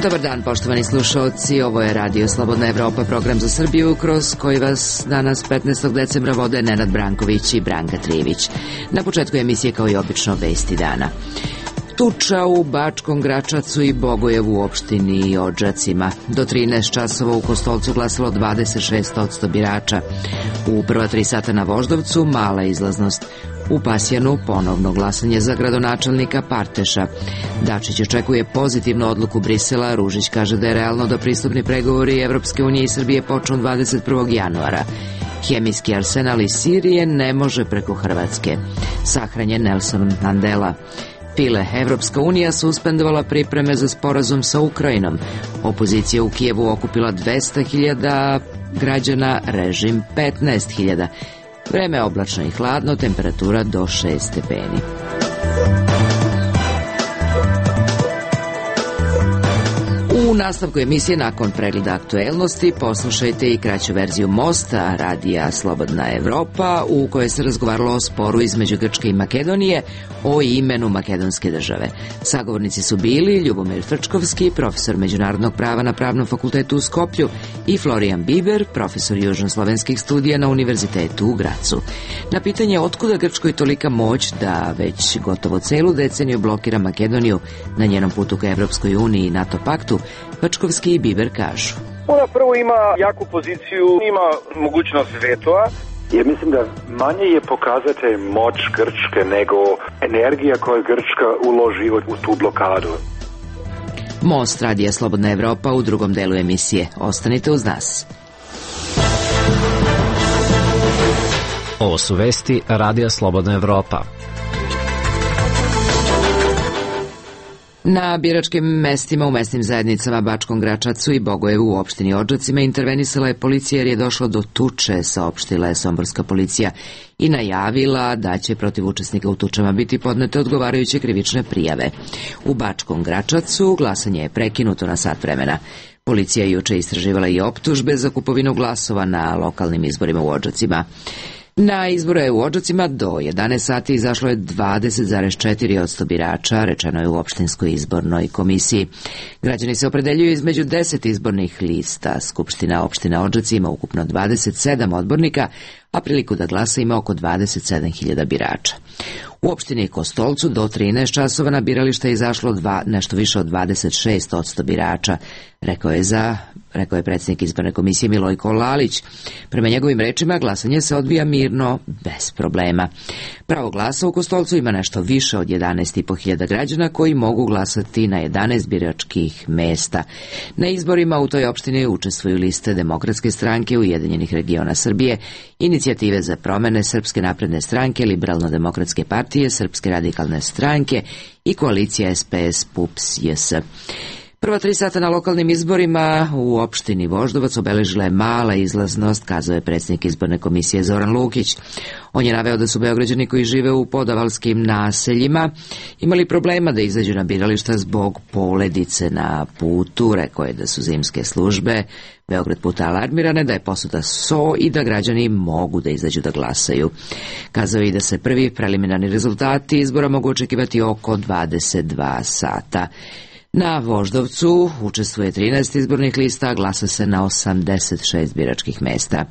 Dobar dan, poštovani slušalci, ovo je Radio Slobodna Evropa, program za Srbiju, kroz koji vas danas 15. decembra vode Nenad Branković i Branka Trijević. Na početku emisije, kao i obično, vesti dana. Tuča u Bačkom Gračacu i Bogojevu u opštini Odžacima. Do 13 časova u Kostolcu glasalo 26% birača. U prva 3 sata na Voždovcu mala izlaznost. U Pasjanu ponovno glasanje za gradonačelnika Parteša. Dačić očekuje pozitivnu odluku Brisela. Ružić kaže da je realno da pristupni pregovori Evropske unije i Srbije počnu 21. januara. Hemijski arsenal iz Sirije ne može preko Hrvatske. Sahranjen Nelson Mandela. Pile, Evropska unija suspendovala pripreme za sporazum sa Ukrajinom. Opozicija u Kijevu okupila 200.000 građana, režim 15.000. Vreme oblačno i hladno, temperatura do 6 stepeni. U nastavku emisije, nakon pregleda aktuelnosti, poslušajte i kraću verziju Mosta, radija Slobodna Evropa, u kojoj se razgovaralo o sporu između Grčke i Makedonije o imenu makedonske države. Sagovornici su bili Ljubomir Frčkovski, profesor međunarodnog prava na Pravnom fakultetu u Skoplju, i Florijan Biber, profesor južnoslovenskih studija na Univerzitetu u Gracu. Na pitanje otkuda Grčkoj tolika moć da već gotovo celu deceniju blokira Makedoniju na njenom putu ka Evropskoj uniji i NATO paktu, Frčkovski i Biber kažu: Ona prvo ima jaku poziciju, ima mogućnost vetoa. Ja mislim da manje je pokazatelj moć Grčke nego energija koju Grčka uloži u tu blokadu. Most, radija Slobodna Evropa, u drugom delu emisije. Ostanite uz nas. Ovo su vesti radija Slobodna Evropa. Na biračkim mestima u mesnim zajednicama Bačkom Gračacu i Bogojevu u opštini Odžacima intervenisala je policija jer je došlo do tuče, saopštila je somborska policija i najavila da će protiv učesnika u tučama biti podnete odgovarajuće krivične prijave. U Bačkom Gračacu glasanje je prekinuto na sat vremena. Policija je juče istraživala i optužbe za kupovinu glasova na lokalnim izborima u Odžacima. Na izbore u Odžacima do 11 sati izašlo je 20,4% birača, rečeno je u opštinskoj izbornoj komisiji. Građani se opredeljuju između 10 izbornih lista. Skupština opština Odžaci ima ukupno 27 odbornika, a priliku da glasa ima oko 27.000 birača. U opštini Kostolcu do 13 časova na birališta je izašlo nešto više od 26% birača, rekao je predsjednik izborne komisije Milojko Lalić. Prema njegovim rečima, glasanje se odvija mirno, bez problema. Pravo glasa u Kostolcu ima nešto više od 11.500 građana koji mogu glasati na 11 biračkih mesta. Na izborima u toj opštini učestvuju liste Demokratske stranke, Ujedinjenih regiona Srbije, Inicijative za promene, Srpske napredne stranke, Liberalno-demokratske partije, Srpske radikalne stranke i koalicija SPS-PUPS-JS. Prva 3 sata na lokalnim izborima u opštini Voždovac obeležila je mala izlaznost, kazao je predsjednik izborne komisije Zoran Lukić. On je naveo da su Beograđani koji žive u podavalskim naseljima imali problema da izađu na birališta zbog poledice na putu. Rekao je da su zimske službe Beograd puta alarmirane, da je posuda so i da građani mogu da izađu da glasaju. Kazao je i da se prvi preliminarni rezultati izbora mogu očekivati oko 22 sata. Na Voždovcu učestvuje 13 izbornih lista, a glasa se na 86 biračkih mesta.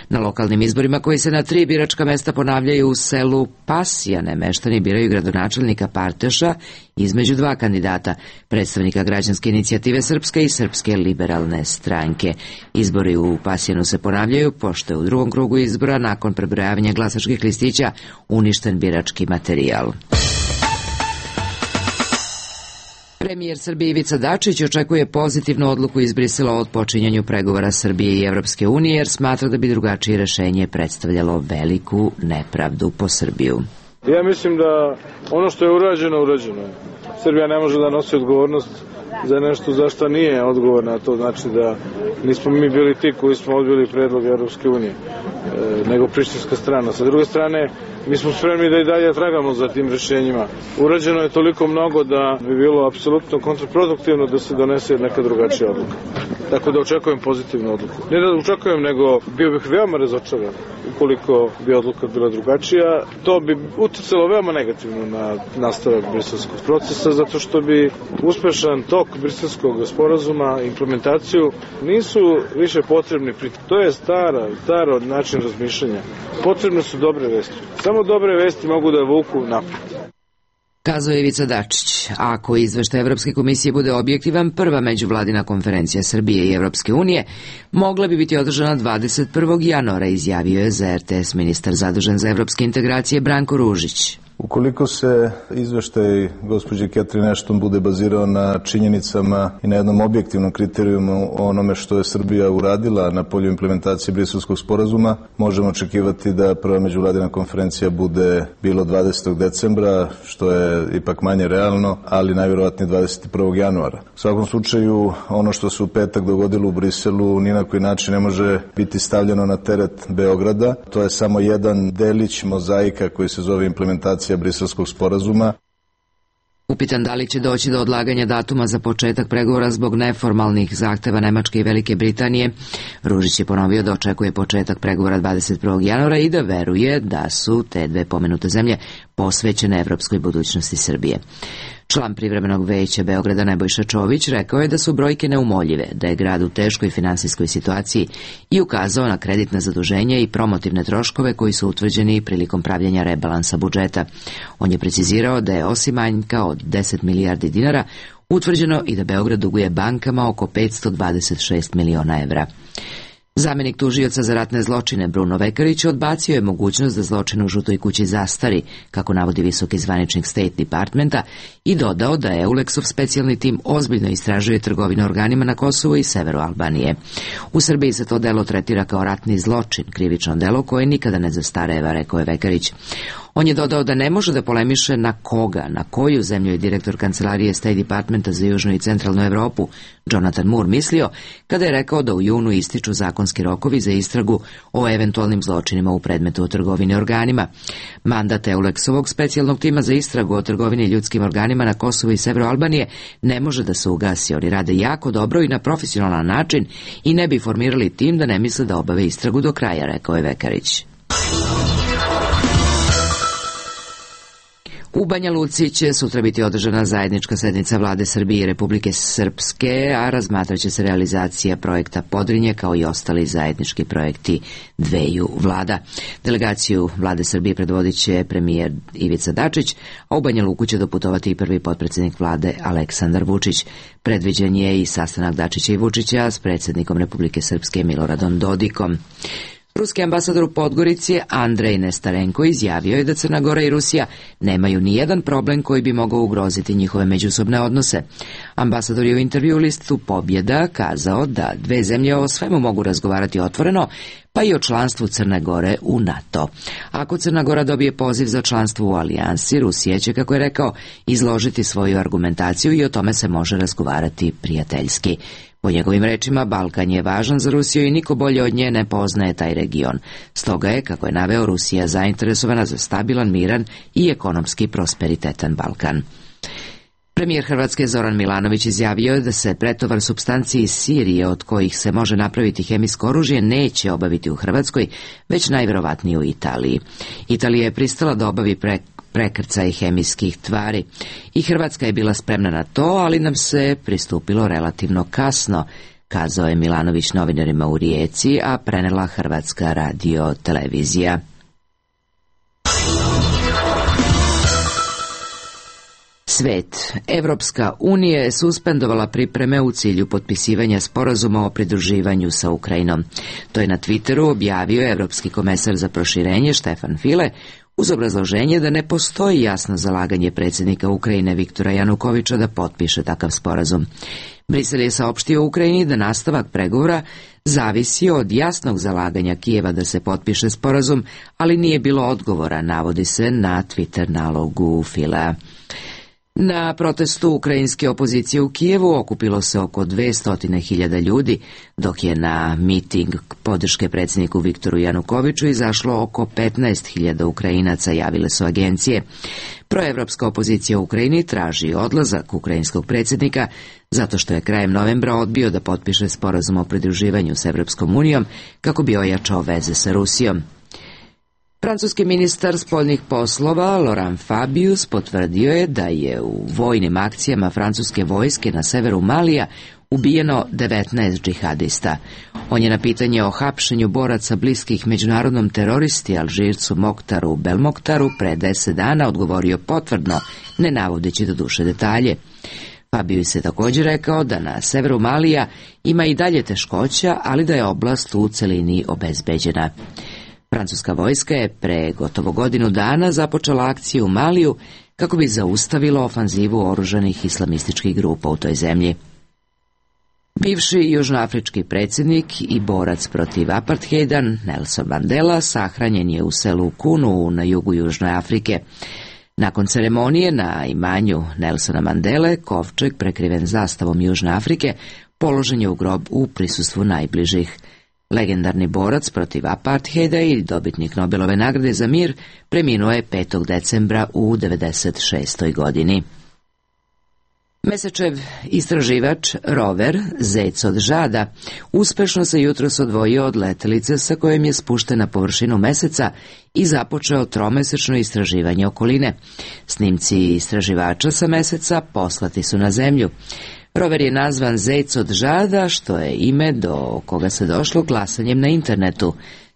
Na lokalnim izborima koji se na 3 biračka mesta ponavljaju u selu Pasjane, meštani biraju gradonačelnika Parteša između 2 kandidata, predstavnika Građanske inicijative Srpske i Srpske liberalne stranke. Izbori u Pasjanu se ponavljaju, pošto je u drugom krugu izbora nakon prebrojavanja glasačkih listića uništen birački materijal. Premijer Srbije Ivica Dačić očekuje pozitivnu odluku iz Brisela o odpočinjanju pregovora Srbije i Evropske unije, jer smatra da bi drugačije rešenje predstavljalo veliku nepravdu po Srbiju. Ja mislim da ono što je urađeno, urađeno je. Srbija ne može da nosi odgovornost za nešto za što nije odgovorna, to znači da nismo mi bili ti koji smo odbili predlog Evropske unije. nego prištinska strana. Sa druge strane, mi smo spremni da i dalje tragamo za tim rešenjima. Urađeno je toliko mnogo da bi bilo apsolutno kontraproduktivno da se donese neka drugačija odluka. Tako da očekujem pozitivnu odluku. Ne da očekujem, nego bio bih veoma razočaran ukoliko bi odluka bila drugačija. To bi uticalo veoma negativno na nastavak briselskog procesa, zato što bi uspešan tok briselskog sporazuma, implementaciju, nisu više potrebni. To je staro način razmišljanja. Potrebne su dobre vesti. Samo dobre vesti mogu da vuku napred. Kazao je Ivica Dačić. Ako izveštaj Evropske komisije bude objektivan, prva međuvladina konferencija Srbije i Evropske unije mogla bi biti održana 21. januara, izjavio je za RTS ministar zadužen za evropske integracije Branko Ružić. Ukoliko se izveštaj gospođe Catherine Ashton bude bazirao na činjenicama i na jednom objektivnom kriterijumu o onome što je Srbija uradila na polju implementacije briselskog sporazuma, možemo očekivati da prva međuvladina konferencija bude bilo 20. decembra, što je ipak manje realno, ali najvjerovatnije 21. januara. U svakom slučaju, ono što se u petak dogodilo u Briselu ni na koji način ne može biti stavljeno na teret Beograda. To je samo jedan delić mozaika koji se zove implementacija briselskog sporazuma. Upitan da li će doći do odlaganja datuma za početak pregovora zbog neformalnih zahteva Nemačke i Velike Britanije, Ružić je ponovio da očekuje početak pregovora 21. januara i da veruje da su te dve pomenute zemlje posvećene evropskoj budućnosti Srbije. Član privremenog veća Beograda Nebojša Čović rekao je da su brojke neumoljive, da je grad u teškoj finansijskoj situaciji i ukazao na kreditna zaduženja i promotivne troškove koji su utvrđeni prilikom pravljenja rebalansa budžeta. On je precizirao da je osim manjka od 10 milijardi dinara utvrđeno i da Beograd duguje bankama oko 526 miliona evra. Zamenik tužioca za ratne zločine Bruno Vekarić odbacio je mogućnost da zločin u Žutoj kući zastari, kako navodi visoki zvaničnik State Departmenta, i dodao da EULEX-ov specijalni tim ozbiljno istražuje trgovinu organima na Kosovu i severu Albanije. U Srbiji se to delo tretira kao ratni zločin, krivično delo koje nikada ne zastareva, rekao je Vekarić. On je dodao da ne može da polemiše na koga, na koju zemlju je direktor kancelarije State Departmenta za Južnu i Centralnu Evropu, Jonathan Moore, mislio kada je rekao da u junu ističu zakonski rokovi za istragu o eventualnim zločinima u predmetu o trgovini organima. Mandat EULEX-ovog specijalnog tima za istragu o trgovini ljudskim organima na Kosovu i severu Albanije ne može da se ugasi. Oni rade jako dobro i na profesionalan način i ne bi formirali tim da ne misle da obave istragu do kraja, rekao je Vekarić. U Banja Luci će sutra biti održana zajednička sednica Vlade Srbije i Republike Srpske, a razmatraće se realizacija projekta Podrinje kao i ostali zajednički projekti dveju vlada. Delegaciju Vlade Srbije predvodit će premijer Ivica Dačić, a u Banja Luku će doputovati i prvi potpredsjednik vlade Aleksandar Vučić. Predviđen je i sastanak Dačića i Vučića s predsjednikom Republike Srpske Miloradom Dodikom. Ruski ambasador u Podgorici Andrej Nestarenko izjavio je da Crna Gora i Rusija nemaju ni jedan problem koji bi mogao ugroziti njihove međusobne odnose. Ambasador je u intervju listu Pobjeda kazao da dve zemlje o svemu mogu razgovarati otvoreno, pa i o članstvu Crne Gore u NATO. Ako Crna Gora dobije poziv za članstvo u alijansi, Rusija će, kako je rekao, izložiti svoju argumentaciju i o tome se može razgovarati prijateljski. Po njegovim rečima, Balkan je važan za Rusiju i niko bolje od nje ne poznaje taj region. Stoga je, kako je naveo, Rusija zainteresovana za stabilan, miran i ekonomski prosperitetan Balkan. Premijer Hrvatske Zoran Milanović izjavio je da se pretovar supstanci iz Sirije od kojih se može napraviti hemijsko oružje neće obaviti u Hrvatskoj, već najverovatnije u Italiji. Italija je pristala da obavi prekrcaj hemijskih tvari i Hrvatska je bila spremna na to, ali nam se pristupilo relativno kasno, kazao je Milanović novinarima u Rijeci, a prenela Hrvatska radio televizija. Svet. Evropska unija je suspendovala pripreme u cilju potpisivanja sporazuma o pridruživanju sa Ukrajinom. To je na Twitteru objavio evropski komesar za proširenje Štefan File uz obrazloženje da ne postoji jasno zalaganje predsjednika Ukrajine Viktora Janukoviča da potpiše takav sporazum. Brisel je saopštio Ukrajini da nastavak pregovora zavisi od jasnog zalaganja Kijeva da se potpiše sporazum, ali nije bilo odgovora, navodi se na Twitter nalogu Filea. Na protestu ukrajinske opozicije u Kijevu okupilo se oko 200.000 ljudi, dok je na miting podrške predsjedniku Viktoru Janukoviću izašlo oko 15.000 Ukrajinaca, javile su agencije. Proevropska opozicija u Ukrajini traži odlazak ukrajinskog predsjednika zato što je krajem novembra odbio da potpiše sporazum o pridruživanju s Evropskom unijom kako bi ojačao veze sa Rusijom. Francuski ministar spoljnih poslova Laurent Fabius potvrdio je da je u vojnim akcijama francuske vojske na severu Malija ubijeno 19 džihadista. On je na pitanje o hapšenju boraca bliskih međunarodnom teroristi Alžircu Moktaru Belmoktaru pre 10 dana odgovorio potvrdno, ne navodeći do duše detalje. Fabius je također rekao da na severu Malija ima i dalje teškoća, ali da je oblast u celini obezbeđena. Francuska vojska je pre gotovo godinu dana započela akciju u Maliju kako bi zaustavilo ofanzivu oružanih islamističkih grupa u toj zemlji. Bivši južnoafrički predsjednik i borac protiv apartheida Nelson Mandela sahranjen je u selu Kunu na jugu Južne Afrike. Nakon ceremonije na imanju Nelsona Mandele, kovčeg prekriven zastavom Južne Afrike položen je u grob u prisustvu najbližih. Legendarni borac protiv apartheida i dobitnik Nobelove nagrade za mir preminuo je 5. decembra u 96. godini. Mesečev istraživač rover Zec od žada uspešno se jutros odvojio od letelice sa kojom je spušten na površinu meseca i započeo tromesečno istraživanje okoline. Snimci istraživača sa meseca poslati su na zemlju. Rover je nazvan Zec od žada, što je ime do koga se došlo glasanjem na internetu.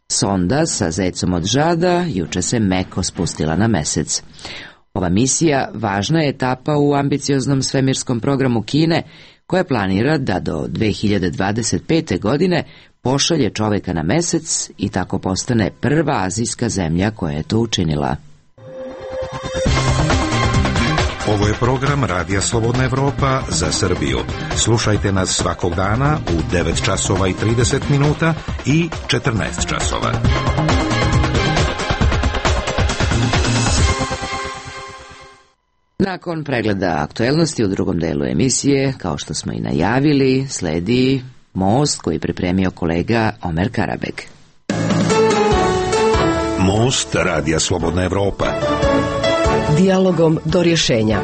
Sonda sa Zecom od žada juče se meko spustila na mesec. Ova misija važna je etapa u ambicioznom svemirskom programu Kine, koja planira da do 2025. godine pošalje čoveka na mesec i tako postane prva azijska zemlja koja je to učinila. Ovo je program Radija Slobodna Evropa za Srbiju. Slušajte nas svakog dana u 9 časova i 30 minuta i 14 časova. Nakon pregleda aktuelnosti u drugom delu emisije, kao što smo i najavili, sledi Most koji pripremio kolega Omer Karabek. Most Radija Slobodna Evropa. Dijalogom do rješenja.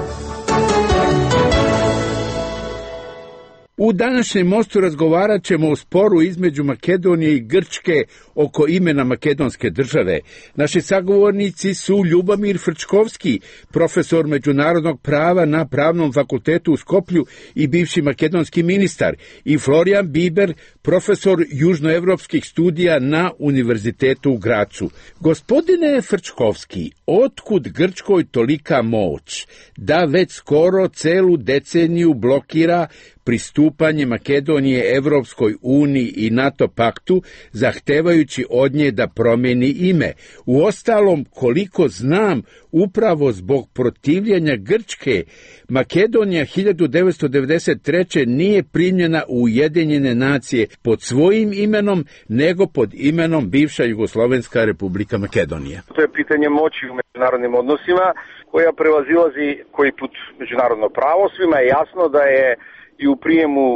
U današnjem mostu razgovarat ćemo o sporu između Makedonije i Grčke oko imena makedonske države. Naši sagovornici su Ljubomir Frčkovski, profesor međunarodnog prava na Pravnom fakultetu u Skoplju i bivši makedonski ministar, i Florijan Biber, profesor južnoevropskih studija na Univerzitetu u Gracu. Gospodine Frčkovski, otkud Grčkoj tolika moć da već skoro celu deceniju blokira pristupanje Makedonije Evropskoj uniji i NATO paktu, zahtevajući od nje da promeni ime? Uostalom, koliko znam, upravo zbog protivljenja Grčke, Makedonija 1993. nije primljena u Ujedinjene nacije pod svojim imenom, nego pod imenom bivša Jugoslovenska Republika Makedonija. To je pitanje moći u međunarodnim odnosima koja prevazilazi koji put međunarodno pravo. Svima je jasno da je i u prijemu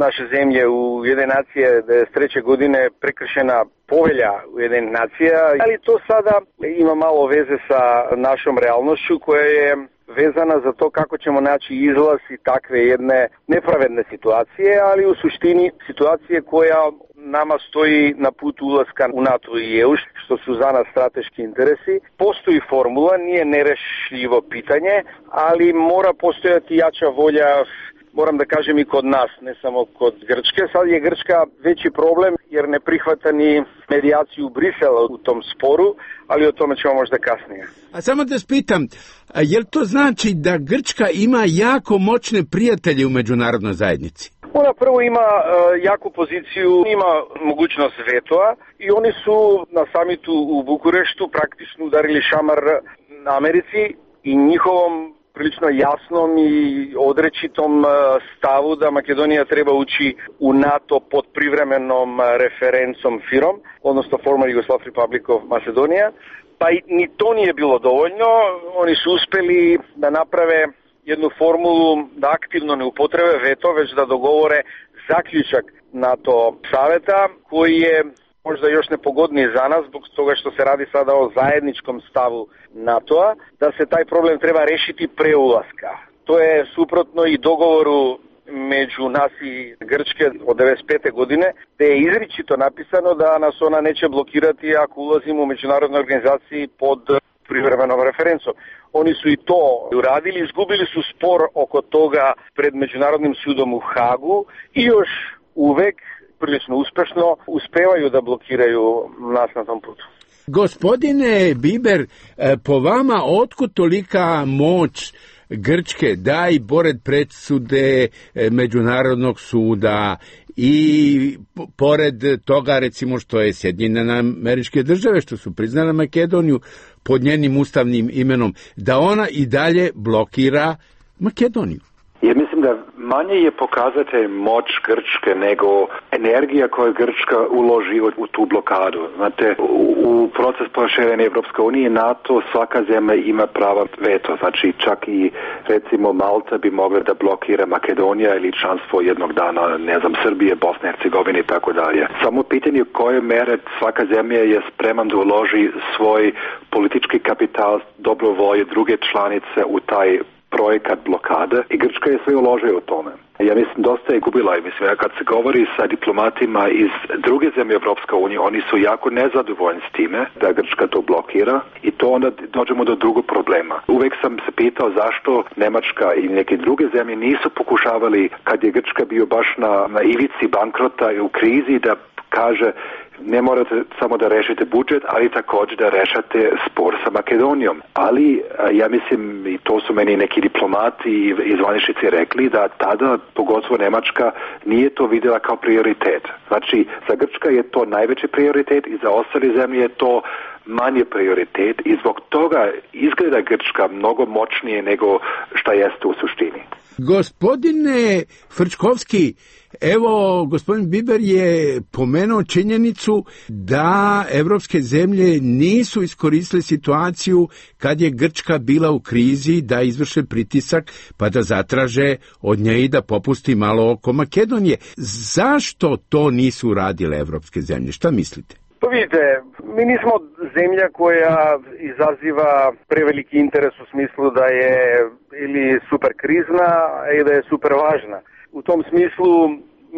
naše zemlje u Ujedinjene nacije 1993. godine prekršena povelja Ujedinjenih nacija, ali to sada ima malo veze sa našom realnošću koja je vezana za to kako ćemo naći izlaz i takve jedne nepravedne situacije, ali u suštini situacije koja nama stoji na putu ulaska u NATO i EU, što su za nas strateški interesi. Postoji formula, nije nerešljivo pitanje, ali mora postojati jača volja, moram da kažem, i kod nas, ne samo kod Grčke. Sad je Grčka veći problem jer ne prihvata ni medijaciju Brisela u tom sporu, ali o tome ćemo možda kasnije. A samo da spitam, je li to znači da Grčka ima jako moćne prijatelje u međunarodnoj zajednici? Ona prvo ima jaku poziciju, ima mogućnost vetoa i oni su na samitu u Bukureštu praktično udarili šamar Americi i njihovom prilično jasnom i odrečitom stavu da Makedonija treba ući u NATO pod privremenom referencom FIROM, odnosno Former Yugoslav Republic of Macedonia. Pa ni to nije bilo dovoljno, oni su uspeli da naprave jednu formulu da aktivno ne upotrebe veto, već da dogovore zaključak NATO saveta koji je možda još nepogodniji za nas zbog toga što se radi sada o zajedničkom stavu NATO-a, da se taj problem treba rešiti pre ulaska. To je suprotno i dogovoru među nas i Grčke od 1995. godine, gde je izričito napisano da nas ona neće blokirati ako ulazimo u međunarodnoj organizaciji pod privremenom referencom. Oni su i to uradili, izgubili su spor oko toga pred Međunarodnim sudom u Hagu i još uvek prilično uspešno uspevaju da blokiraju nas na tom putu. Gospodine Biber, po vama otkud tolika moć Grčke da i pored presude Međunarodnog suda i pored toga recimo što je Sjedinjene Američke Države što su priznale Makedoniju pod njenim ustavnim imenom, da ona i dalje blokira Makedoniju? Ja mislim da manje je pokazatelj moć Grčke nego energija koju Grčka uloži u tu blokadu. Znate, u proces proširenja Evropske unije NATO svaka zemlja ima prava veto. Znači čak i recimo Malta bi mogla da blokira Makedonija ili članstvo jednog dana, ne znam, Srbije, Bosne, Hercegovine i tako dalje. Samo pitanje koje mere svaka zemlja je spreman da uloži svoj politički kapital, dobro volje druge članice u taj projekat blokade i Grčka je sve uložila u tome. Ja mislim dosta je gubila i mislim kad se govori sa diplomatima iz druge zemlje Evropske unije, oni su jako nezadovoljni s time da Grčka to blokira i to onda dođemo do drugog problema. Uvek sam se pitao zašto Nemačka i neke druge zemlje nisu pokušavali kad je Grčka bio baš na ivici bankrota i u krizi da kaže ne morate samo da rešite budžet, ali također da rešate spor sa Makedonijom. Ali ja mislim, i to su meni neki diplomati i zvaničnici rekli, da tada, pogotovo Nemačka, nije to vidjela kao prioritet. Znači, za Grčka je to najveći prioritet i za ostale zemlje je to manje prioritet i zbog toga izgleda Grčka mnogo moćnije nego šta jeste u suštini. Gospodine Frčkovski, evo, gospodin Biber je pomenuo činjenicu da evropske zemlje nisu iskoristile situaciju kad je Grčka bila u krizi da izvrše pritisak pa da zatraže od nje i da popusti malo oko Makedonije. Zašto to nisu radile evropske zemlje? Šta mislite? Pa vidite, mi nismo zemlja koja izaziva preveliki interes u smislu da je ili super krizna i da je super važna. U tom smislu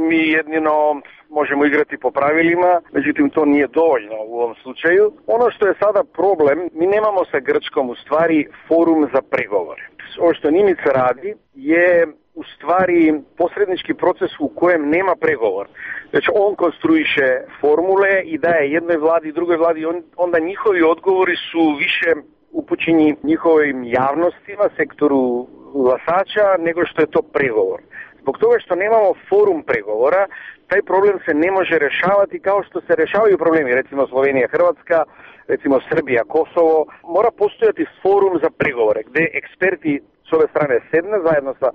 mi jedino možemo igrati po pravilima, međutim to nije dovoljno u ovom slučaju. Ono što je sada problem, mi nemamo sa Grčkom u stvari forum za pregovore. Ovo što Nimica radi je u stvari posrednički proces u kojem nema pregovor. Znači on konstruiše formule i daje jednoj vladi i drugoj vladi, onda njihovi odgovori su više upućeni njihovim javnostima, sektoru glasača, nego što je to pregovor. Zbog toga što nemamo forum pregovora, taj problem se ne može rešavati kao što se rešavaju problemi, recimo Slovenija, Hrvatska, recimo Srbija, Kosovo. Mora postojati forum za pregovore, gde eksperti s ove strane sedne zajedno sa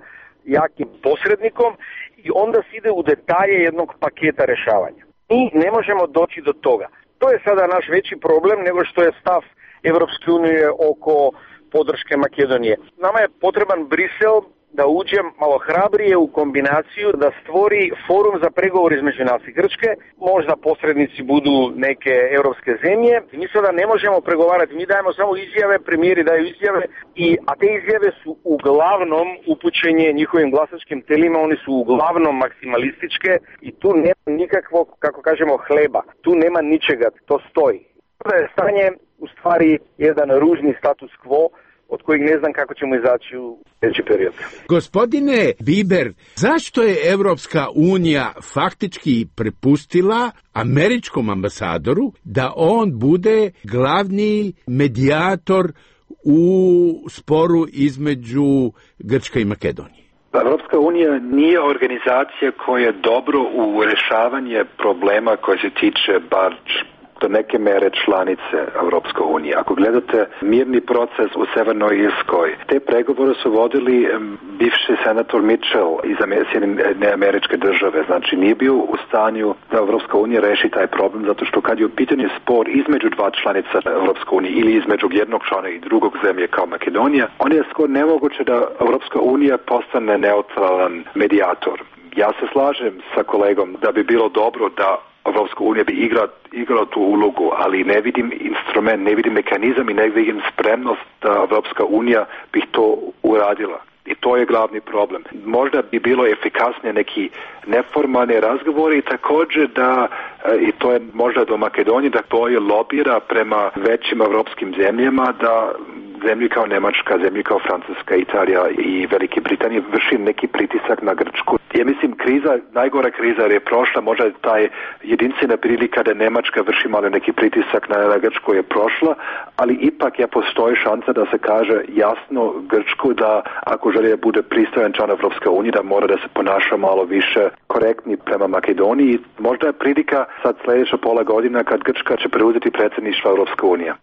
jakim posrednikom i onda se ide u detalje jednog paketa rešavanja. Mi ne možemo doći do toga. To je sada naš veći problem nego što je stav Evropske unije oko podrške Makedonije. Nama je potreban Brisel da uđe malo hrabrije u kombinaciju, da stvori forum za pregovor između nas i Grčke, možda posrednici budu neke evropske zemlje. Mi sada ne možemo pregovarati, mi dajemo samo izjave, premijeri daju izjave, a te izjave su uglavnom upućenje njihovim glasačkim telima, oni su uglavnom maksimalističke i tu nema nikakvog, kako kažemo, hleba, tu nema ničega, to stoji. To je stanje u stvari jedan ružni status quo od kojeg ne znam kako ćemo izaći u sljedeći period. Gospodine Biber, zašto je Evropska unija faktički prepustila američkom ambasadoru da on bude glavni medijator u sporu između Grčke i Makedonije? Evropska unija nije organizacija koja je dobro u rešavanje problema koji se tiče bar do neke mere članice Europske unije. Ako gledate mirni proces u Severnoj Irskoj, te pregovore su vodili bivši senator Mitchell iz Američke države. Znači nije bio u stanju da Europska unija reši taj problem, zato što kad je u pitanju spor između dva članica Europske unije ili između jednog člana i drugog zemlje kao Makedonija, on je skoro nemoguće da Europska unija postane neutralan medijator. Ja se slažem sa kolegom da bi bilo dobro da Evropska unija bi igrala tu ulogu, ali ne vidim instrument, ne vidim mehanizam i ne vidim spremnost da Evropska unija bi to uradila. I to je glavni problem. Možda bi bilo efikasnije neki neformalni razgovori i također da, i to je možda do Makedonije, da to je lobira prema većim evropskim zemljama, da zemlje kao Nemačka, zemlje kao Francuska, Italija i Velike Britanije vrši neki pritisak na Grčku. Ja mislim najgora kriza je prošla, možda taj jedinstvena prilika da Nemačka vrši malo neki pritisak na Grčku je prošla, ali ipak postoji šansa da se kaže jasno Grčku da ako želi da bude pristojan član Evropske unije, da mora da se ponaša malo više korektni prema Makedoniji. Možda je prilika sad sljedeća pola godina kad Grčka će preuzeti predsjedništvo Evropske unije.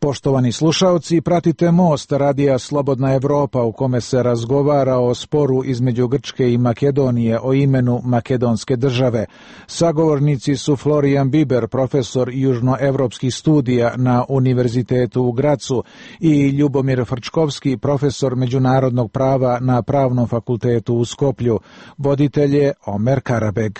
Poštovani slušaoci, pratite Most radija Slobodna Evropa u kome se razgovara o sporu između Grčke i Makedonije o imenu makedonske države. Sagovornici su Florijan Biber, profesor južnoevropskih studija na Univerzitetu u Gracu, i Ljubomir Frčkovski, profesor međunarodnog prava na Pravnom fakultetu u Skoplju. Voditelj je Omer Karabeg.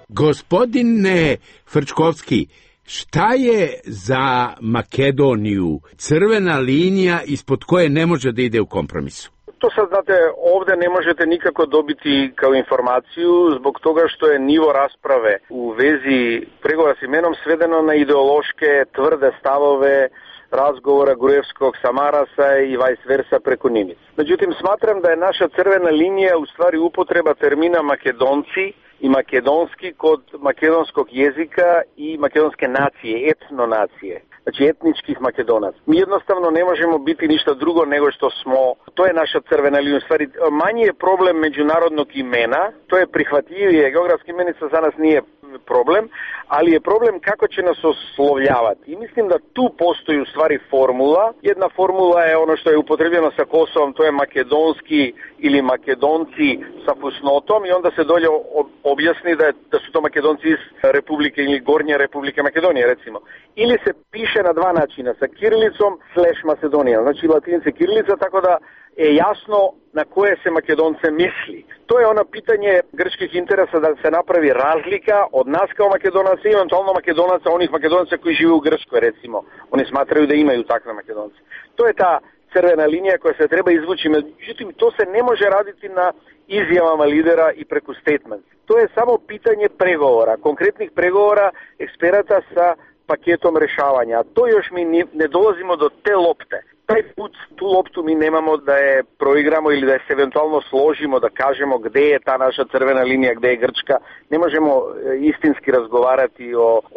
Gospodine Frčkovski, šta je za Makedoniju crvena linija ispod koje ne može da ide u kompromisu? To sad, znate, ovde ne možete nikako dobiti kao informaciju zbog toga što je nivo rasprave u vezi pregovora s imenom svedeno na ideološke tvrde stavove razgovora Gruevskog sa Marasa i vice versa preko Nimic. Međutim, smatram da je naša crvena linija u stvari upotreba termina Makedonci i makedonski kod makedonskog jezika i makedonske nacije, etnonacije, znači etničkih Makedonaca. Mi jednostavno ne možemo biti ništa drugo nego što smo, to je naša crvena linija. U stvari, manji je problem međunarodnog imena, to je prihvatljivije, geografska imenica za nas nije problem, ali je problem kako će nas oslovljavati. I mislim da tu postoji u stvari formula. Jedna formula je ono što je upotrebljeno sa Kosovom, to je makedonski ili makedonci sa fusnotom i onda se dolje objasni da su to Makedonci iz Republike ili Gornje Republike Makedonije, recimo. Ili se piše na dva načina, sa kirilicom / Macedonija, znači latinice kirilica, tako da je jasno na koje se Makedonce misli. To je ono pitanje grčkih interesa da se napravi razlika od nas kao Makedonaca i eventualno Makedonaca, onih Makedonaca koji žive u Grčkoj, recimo. Oni smatraju da imaju takve Makedonce. To je ta crvena linija koja se treba izvući. Međutim, to se ne može raditi na izjavama lidera i preko statements. To je samo pitanje pregovora, konkretnih pregovora eksperata sa paketom rešavanja. A to još mi ne dolazimo do te lopte. Taj put, tu loptu mi nemamo da je proigramo ili da je se eventualno složimo, da kažemo gde je ta naša crvena linija, gde je Grčka. Ne možemo istinski razgovarati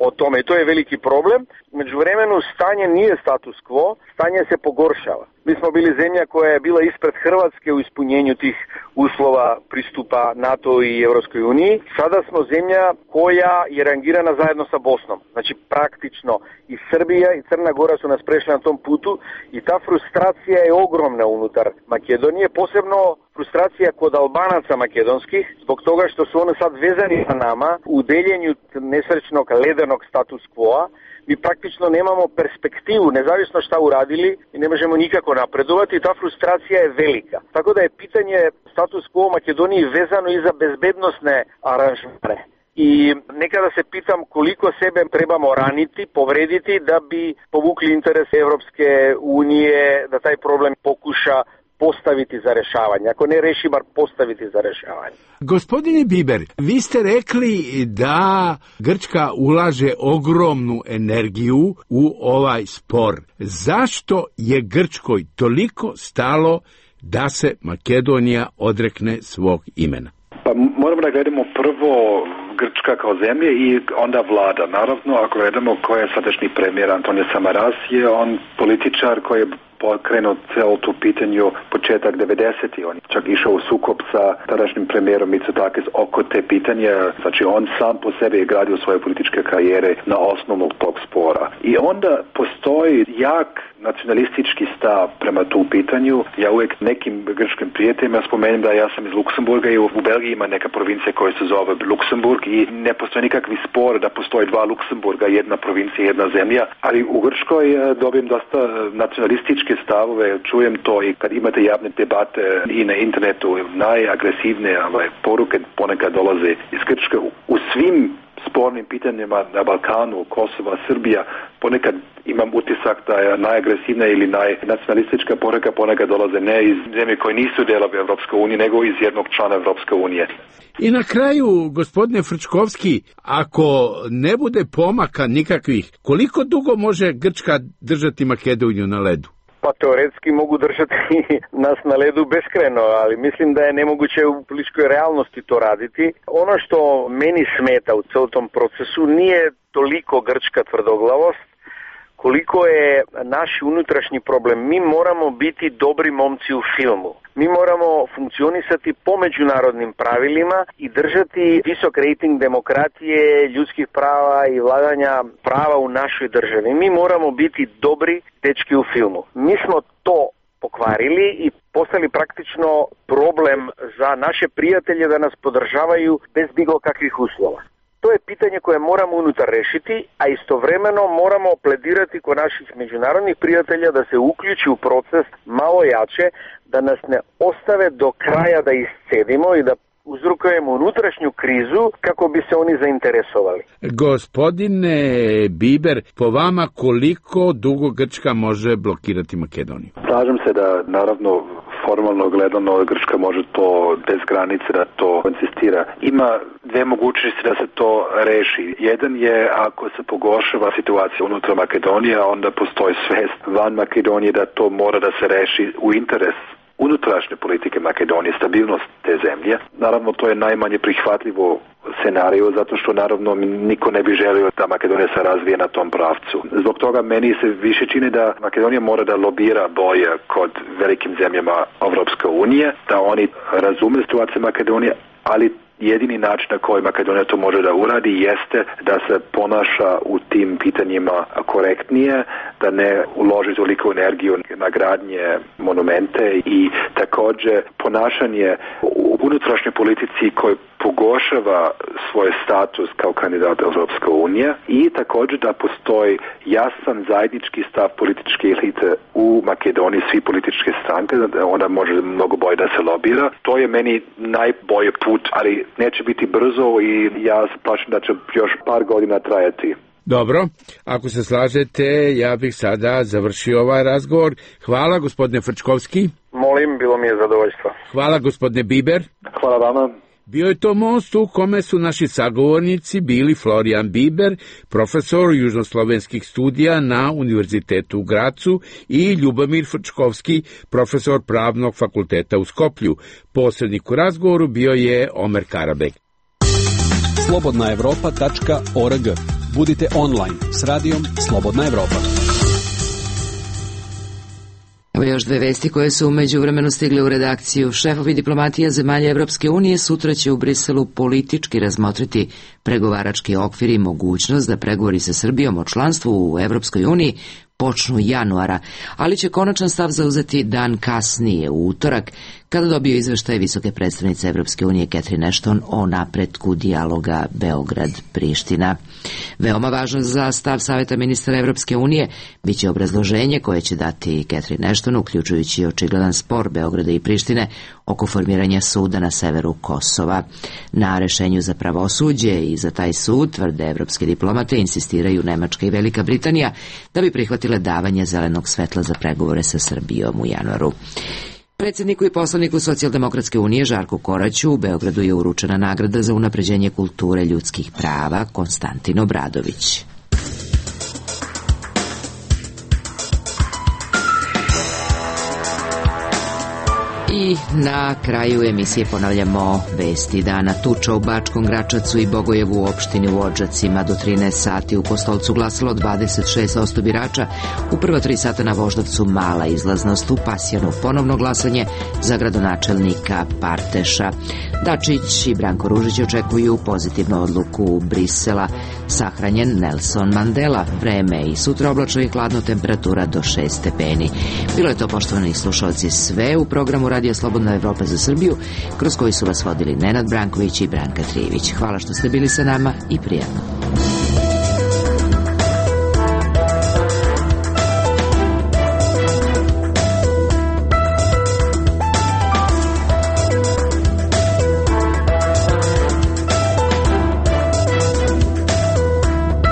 o tome i to je veliki problem. Međuvremenu stanje nije status quo, stanje se pogoršava. Mi smo bili zemlja koja je bila ispred Hrvatske u ispunjenju tih uslova pristupa NATO i Europskoj uniji. Sada smo zemlja koja je rangirana zajedno sa Bosnom. Znači praktično i Srbija i Crna Gora su nas prešli na tom putu i ta frustracija je ogromna unutar Makedonije, posebno frustracija kod Albanaca makedonskih, zbog toga što su oni sad vezani sa nama u deljenju nesrećnog ledenog status quo-a. Mi praktično nemamo perspektivu, nezavisno šta uradili i ne možemo nikako napredovati i ta frustracija je velika. Tako da je pitanje status quo u Makedoniji vezano i za bezbednosne aranžmane. I nekada se pitam koliko sebe trebamo raniti, povrediti da bi povukli interes Evropske unije da taj problem pokuša postaviti za rešavanje. Ako ne reši, bar postaviti za rešavanje. Gospodine Biber, vi ste rekli da Grčka ulaže ogromnu energiju u ovaj spor. Zašto je Grčkoj toliko stalo da se Makedonija odrekne svog imena? Pa moramo da gledamo prvo Grčka kao zemlje i onda vlada. Naravno, ako gledamo ko je sadašnji premijer Antonio Samaras, je on političar koji je pokrenuo celo tu pitanju početak 90. On čak išao u sukob sa tadašnjim premijerom Mitsotakis oko te pitanja. Znači on sam po sebi je gradio svoje političke karijere na osnovu tog spora. I onda postoji jak nacionalistički stav prema tu pitanju. Ja uvijek nekim grčkim prijateljima spomenem da ja sam iz Luksemburga i u Belgiji ima neka provincija koja se zove Luksemburg i ne postoji nikakvi spor da postoji dva Luksemburga, jedna provincija, jedna zemlja, ali u Grčkoj dobijem dosta nacionalističke stavove, čujem to i kad imate javne debate i na internetu, najagresivnije poruke ponekad dolaze iz Grčke u svim spornim pitanjima na Balkanu, Kosova, Srbija, ponekad imam utisak da je najagresivna ili najnacionalistička poruka ponekad dolaze ne iz zemlje koje nisu delovi Evropske unije, nego iz jednog člana Evropske unije. I na kraju, gospodine Frčkovski, ako ne bude pomaka nikakvih, koliko dugo može Grčka držati Makedoniju na ledu? Pa teoretski mogu držati nas na ledu beskreno, ali mislim da je nemoguće u političkoj realnosti to raditi. Ono što meni smeta u celom tom procesu nije toliko grčka tvrdoglavost, koliko je naš unutrašnji problem. Mi moramo biti dobri momci u filmu. Mi moramo funkcionisati po međunarodnim pravilima i držati visok rejting demokratije, ljudskih prava i vladanja prava u našoj državi. Mi moramo biti dobri dečki u filmu. Mi smo to pokvarili i postali praktično problem za naše prijatelje da nas podržavaju bez bilo kakvih uslova. To je pitanje koje moramo unutar rešiti, a istovremeno moramo pledirati kod naših međunarodnih prijatelja da se uključi u proces malo jače, da nas ne ostave do kraja da iscedimo i da uzrokujemo unutrašnju krizu kako bi se oni zainteresovali. Gospodine Biber, po vama koliko dugo Grčka može blokirati Makedoniju? Slažem se da naravno formalno gledano Grčka može to bez granice da to insistira. Ima dve mogućnosti da se to reši. Jedan je ako se pogoršava situacija unutar Makedonije, onda postoji svest van Makedonije da to mora da se reši u interes unutrašnje politike Makedonije, stabilnost te zemlje. Naravno, to je najmanje prihvatljivo scenariju, zato što naravno niko ne bi želio da Makedonija se razvije na tom pravcu. Zbog toga meni se više čini da Makedonija mora da lobira bolje kod velikim zemljama Evropske unije, da oni razume situaciju Makedonije, ali jedini način na koji Makedonija to može da uradi jeste da se ponaša u tim pitanjima korektnije, da ne uloži toliko energiju na gradnje monumente i također ponašanje u unutrašnjoj politici koji pogoršava svoj status kao kandidat Evropske unije i također da postoji jasan zajednički stav političke elite u Makedoniji, svi političke stranke, da ona može mnogo bolje da se lobira. To je meni najbolji put, ali neće biti brzo i ja se plašim da će još par godina trajati. Dobro, ako se slažete, ja bih sada završio ovaj razgovor. Hvala, gospodine Frčkovski. Molim, bilo mi je zadovoljstvo. Hvala, gospodine Biber. Hvala vama. Bio je to most u kome su naši sagovornici bili Florijan Biber, profesor južnoslovenskih studija na Univerzitetu u Gracu i Ljubomir Frčkovski, profesor Pravnog fakulteta u Skoplju. Posrednik u razgovoru bio je Omer Karabek. slobodnaevropa.org. Budite online s radijom Slobodna Evropa. Evo još dve vesti koje su u međuvremenu stigle u redakciju. Šefovi diplomatija zemalja Evropske unije sutra će u Briselu politički razmotriti pregovarački okvir i mogućnost da pregovori sa Srbijom o članstvu u Evropskoj uniji počnu januara, ali će konačan stav zauzeti dan kasnije, u utorak, kada dobiju izveštaj visoke predstavnice Evropske unije Catherine Ashton o napretku dijaloga Beograd-Priština. Veoma važno za stav Saveta ministara Evropske unije biće obrazloženje koje će dati Catherine Ashton, uključujući očigledan spor Beograda i Prištine oko formiranja suda na severu Kosova. Na rešenju za pravosuđe i za taj sud, tvrde evropske diplomate, insistiraju Nemačka i Velika Britanija da bi prihvatile davanje zelenog svetla za pregovore sa Srbijom u januaru. Predsjedniku i poslaniku Socijaldemokratske unije Žarku Koraću u Beogradu je uručena nagrada za unapređenje kulture ljudskih prava Konstantin Obradović. I na kraju emisije ponavljamo vesti dana. Tuča u Bačkom Gračacu i Bogojevu u opštini u Odžacima. Do 13 sati u Kostolcu glasalo 26% birača. U prva 3 sata na Voždovcu mala izlaznost. U Pasjanu ponovno glasanje za gradonačelnika Parteša. Dačić i Branko Ružić očekuju pozitivnu odluku Brisela. Sahranjen Nelson Mandela. Vreme i sutra oblačno i hladno, temperatura do 6 stepeni. Bilo je to, poštovani slušalci, sve u programu Radija Slobodna Evropa za Srbiju, kroz koji su vas vodili Nenad Branković i Branka Trijević. Hvala što ste bili sa nama i prijatno.